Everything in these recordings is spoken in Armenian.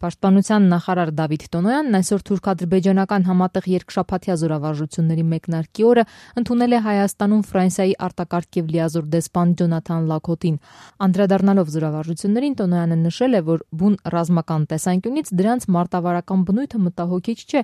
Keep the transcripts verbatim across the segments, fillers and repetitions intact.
Պաշտպանության նախարար Դավիթ Տոնոյանն այսօր թուրք-ադրբեջանական համատեղ երկշաբաթյա զորավարժությունների մեկնարկի օրը ընդունել է Հայաստանում Ֆրանսիայի արտակարգ եւ լիազոր դեսպան Ջոնաթան Լաքոթին։ Անդրադառնալով զորավարժություններին, Տոնոյանը նշել է, որ բուն ռազմական տեսանկյունից դրանց մարտավարական բնույթը մտահոգիչ չէ,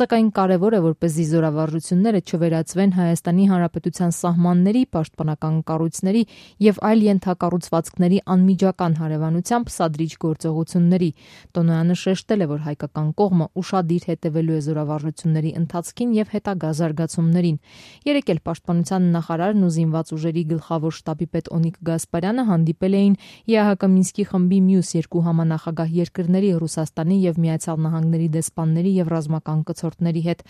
սակայն կարևոր է, որպեսզի զորավարժությունները չվերածվեն Հայաստանի Հանրապետության սահմանների, պաշտպանական կառույցների եւ այլ ենթակառուցվածքների անմիջական հարևանությամբ սադրիչ գործողությունների։ Տոնոյանը շեշտել է, որ հայկական կողմը ուշադիր հետևելու է զորավարժությունների ընթացքին եւ հետագա զարգացումներին։ Երեկ էլ պաշտպանության նախարարն ու զինված ուժերի գլխավոր շտաբի պետ Օնիկ Գասպարյանը հանդիպել էին ԵԱՀԿ Մինսկի խմբի մյուս երկու համանախագահ երկրների Ռուսաստանի եւ Միացյալ Նահանգների դեսպանների եւ ռազմական կցորդների հետ։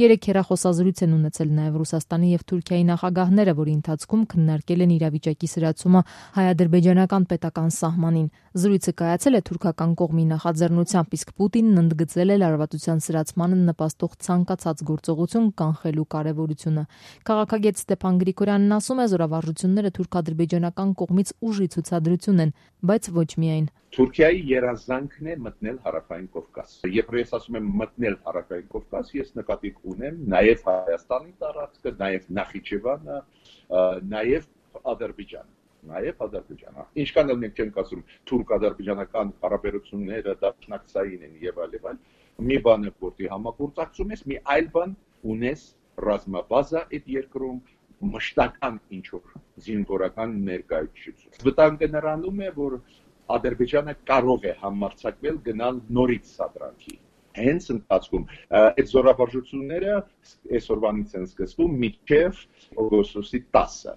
Երեկ հեռախոսազրույց են ունեցել նաեւ Ռուսաստանի եւ Թուրքիայի նախագահները, որի ընթացքում քննարկել են իրավիճակի սրացումը հայ-ադրբեջանական պետական սահմանին։ Զրույցը կայացել է թուրքական կողմի նախաձեռնությամբ, իսկ Պուտինն ընդգծել է լարվածության սրացմանը նպաստող ցանկացած գործողություն կանխելու կարևորությունը։ Քաղաքագետ Ստեփան Գրիգորյանն ասում է, զորավարժությունները թուրք-ադրբեջանական կողմից ուժի ցուցադրություն են, բայց ոչ միայն։ Թուրքիայի երազանքն է մտնել Հարավային Կովկաս։ Երբ ես ասում եմ մտնել Հարավային Կովկաս, ես նկատի ունեմ նաև Հայաստանի տարածքը, նաև Նախիջևանը, նաև Ադրբեջանը։ Նաև Ադրբեջանը։ Ինչքան էլ մենք չենք ասում թուրք-ադրբեջանական հարաբերությունները դաշնակցային են եւ այլ եւ այլ, մի բան է որտի համագործակցում ես, մի այլ բան ունես ռազմաբազա այդ երկրում մշտական ինչ-որ զինվորական ներկայություն։ Վտանգը նրանում է, որ Ադրբեջանը կարող է համարձակվել գնալ նորից սադրանքի։ Հենց ընթացքում այդ զորավարժությունները այսօրվանից են սկսվում մինչև օգոստոսի տասը։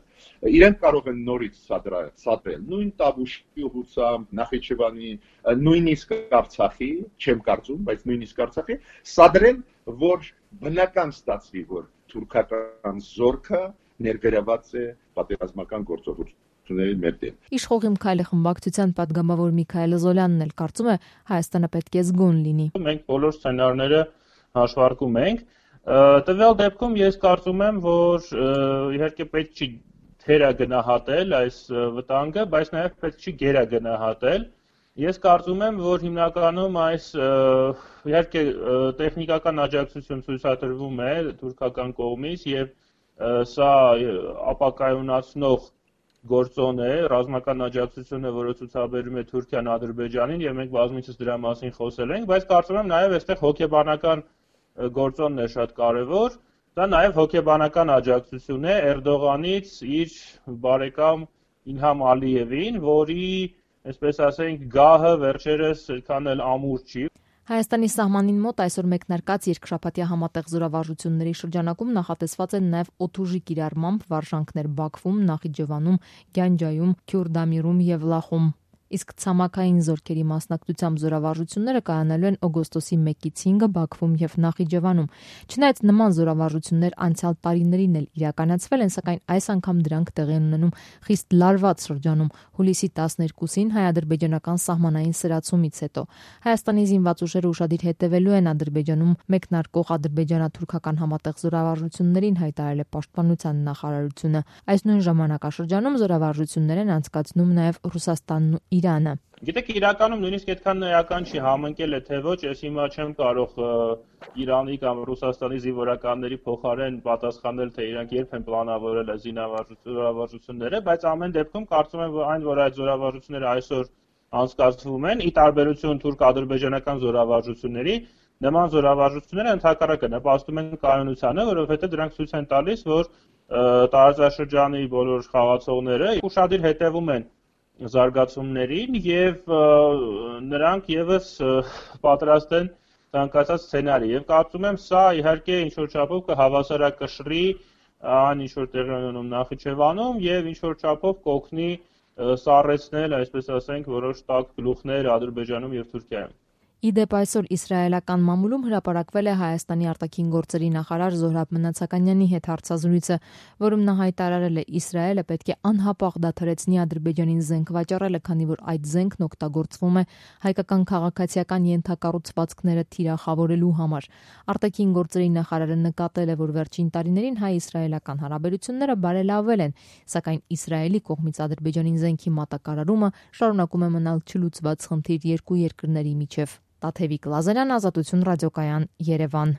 Իրենք կարող են նորից սադրել նույն Տավուշի ուղղությամբ, Նախիջևանի, նույնիսկ Արցախի, չեմ կարծում, բայց նույնիսկ Արցախի սադրել, որ բնական ստացվի, որ թուրքական զորքը ներգրաված է պատերազմական գործողություն։ Իշխող Իմքայլի խմբակցության պատգամավոր Միքայել Զոլյանն էլ կարծում է, Հայաստանը պետք է զգոն լինի։ Մենք բոլոր սցենարները հաշվարկում ենք։ Տվյալ դեպքում ես կարծում եմ, որ իհարկե պետք չի թերագնահատել այս վտանգը, բայց նաև պետք չի գերագնահատել։ Ես կարծում եմ, որ հիմնականում այս իհարկե տեխնիկական աջակցություն ցույցատրվում է թուրքական կողմից եւ սա ապակայունացնող գործոն է, ռազմական աջակցությունը, որը ցուցաբերում է Թուրքիան Ադրբեջանին եւ մենք բազմիցս դրա մասին խոսել ենք, բայց կարծում եմ նաեւ այստեղ հոգեբանական գործոնն է շատ կարեւոր, դա նաեւ հոգեբանական աջակցություն է Էրդողանից իր բարեկամ Իլհամ Ալիևին, որի, այսպես ասենք, գահը վերջերս այդքան էլ ամուր չի։ Հայաստանի սահմանին մոտ այսօր մեկնարկած երկշաբաթյա համատեղ զորավարժությունների շրջանակում նախատեսված են նաև օդուժի կիրառմամբ վարժանքներ Բաքվում, Նախիջևանում, Գյանջայում, Քյուրդամիրում եւ Լախում։ Իսկ ցամաքային զորքերի մասնակցությամբ զորավարժությունները կայանալու են օգոստոսի մեկից հինգը Բաքվում եւ Նախիջևանում։ Չնայած նման զորավարժություններ անցյալ տարիներին էլ իրականացվել են, սակայն այս անգամ դրանք տեղի են ունենում խիստ լարված շրջանում հուլիսի տասներկուսին հայ-ադրբեջանական սահմանային սրացումից հետո։ Հայաստանի զինված ուժերը ուշադիր հետևելու են Ադրբեջանում մեկնարկող ադրբեջանա-թուրքական համատեղ զորավարժություններին, հայտարարել է պաշտպանության նախարարությունը։ Այս նույն ժամանակաշրջանում զորավարժություններ են անցկացնում նաև Ռուսաստանն ու Իրանը։ Գիտեք, իրականում նույնիսկ այդքան էական չի, համընկել է թե ոչ, ես հիմա չեմ կարող Իրանի կամ Ռուսաստանի զինվորականների փոխարեն պատասխանել, թե իրանք երբ են պլանավորել այս զորավարժությունները, բայց ամեն դեպքում կարծում եմ, որ այն, որ այդ զորավարժությունները այսօր անցկացվում են, ի տարբերություն թուրք-ադրբեջանական զորավարժությունների, նման զորավարժությունները ընդհակառակը նպաստում են կայունությանը, որովհետև դրանք ցույց են տալիս, որ տարածաշրջանի բոլոր խաղացողները ուշադիր հետևում են զարգացումներին եւ նրանք եւս պատրաստ են ցանկացած սցենարի եւ կարծում եմ սա իհարկե ինչ որ չափով կհավասարակշռի այն ինչ որ տեղի ունենում Նախիջևանում եւ ինչ որ չափով կօգնի սառեցնել, այսպես ասենք, որոշ տաք գլուխներ Ադրբեջանում եւ Թուրքիայում։ Իդեպ այսօր իսրայելական մամուլում հրապարակվել է Հայաստանի արտաքին գործերի նախարար Զոհրաբ Մնացականյանի հետ հարցազրույցը, որում նա հայտարարել է Իսրայելը պետք է անհապաղ դադարեցնի Ադրբեջանին զենք վաճառելը, քանի որ այդ զենքն օգտագործվում է հայկական քաղաքացիական ենթակառուցվածքները թիրախավորելու համար։ Արտաքին գործերի նախարարը նկատել է, որ վերջին տարիներին հայ-իսրայելական հարաբերությունները բարելավվել են, սակայն Իսրայելի կողմից Ադրբեջանին զենքի մատակարարումը շարունակում է մնալ չլուծված խնդիր երկու երկրների միջև։ Տաթևիկ Լազարյան, Ազատություն ռադիոկայան, Երևան։